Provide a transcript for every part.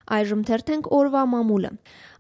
Այժմ թերթենք օրվա մամուլը։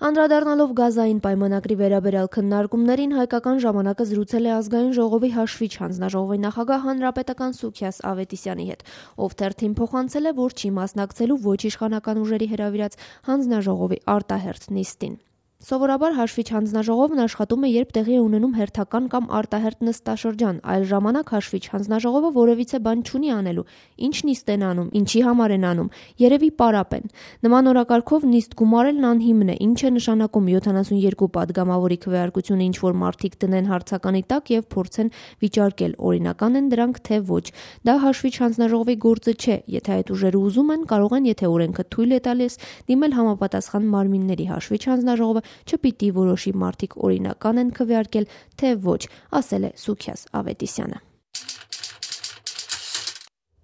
Անդրադառնալով գազային պայմանագրի վերաբերյալ քննարկումներին, Հայկական ժամանակը զրուցել է Ազգային ժողովի հաշվիչ հանձնաժողովի նախագահ հանրապետական Սուքիաս Ավետիսյանի հետ, ով թերթին փոխանցել է, որ չի մասնակցելու ոչ իշխանական ուժերի հրավիրած հանձնաժողովի արտահերթ նիստին։ Սովորաբար հաշվիչ հանձնաժողովն աշխատում է, երբ տեղի է ունենում հերթական կամ արտահերթ նստաշրջան, այլ ժամանակ հաշվիչ հանձնաժողովը որևիցե բան չունի անելու, ինչ նիստ են անում, ինչի համար են անում, երևի պարապ են։ Նման օրակարգով նիստ գումարելն անհիմն է, ինչ է նշանակում 72 պատգամավորի քվեարկությունը ինչ-որ մարդիկ դնեն հարցականի տակ եւ փորձեն վիճարկել, օրինական են դրանք թե ոչ։ Դա հաշվիչ հանձնաժողովի գործը չէ, եթե այդ ուժերը ուզում են, կարող են, եթե օրենքը թույլ է տալիս, դիմել համապատասխան մարմինների հաշվիչ հանձնաժողովը չպիտի որոշի մարդիկ օրինական են քվեարկել, թե ոչ, ասել է Սուքիաս Ավետիսյանը։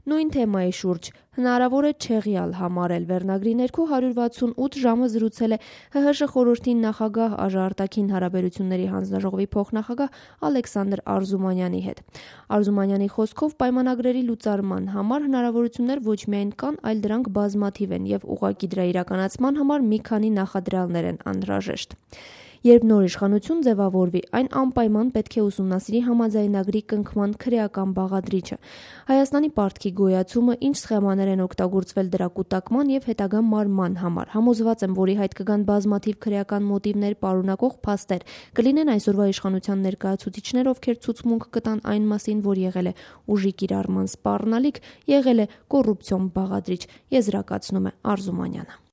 Նույն թեմայի շուրջ հնարավոր է չեղյալ համարել վերնագրի ներքո 168 ժամը զրուցել է ՀՀՇ խորհրդի նախագահ Արտաքին հարաբերությունների հանձնաժողովի փոխնախագահ Ալեքսանդր Արզումանյանի հետ։ Արզումանյանի խոսքով պայմանագրերի լուծարման համար հնարավորություններ ոչ միայն կան, այլ դրանք բազմաթիվ են եւ ուղղակի դրա իրականացման համար մի քանի նախադրյալներ են անհրաժեշտ։ Երբ նոր իշխանություն ձևավորվի, այն անպայման պետք է ուսումնասիրի համաձայնագրի կնքման քրեական բաղադրիչը, Հայաստանի պարտքի գոյացումը, ինչ սխեմաներ են օգտագործվել դրա կուտակման եւ հետագա մարման համար։ Համոզված եմ, որ ի հայտ կգան բազմաթիվ քրեական մոտիվներ պարունակող փաստեր, կլինեն այսօրվա իշխանության ներկայացուցիչներ, ովքեր ցուցմունք կտան այն մասին, որ եղել է ուժի կիրառման սպառնալիք, եղել է կոռուպցիոն բաղադրիչ, եզրակացնում է Արզումանյանը։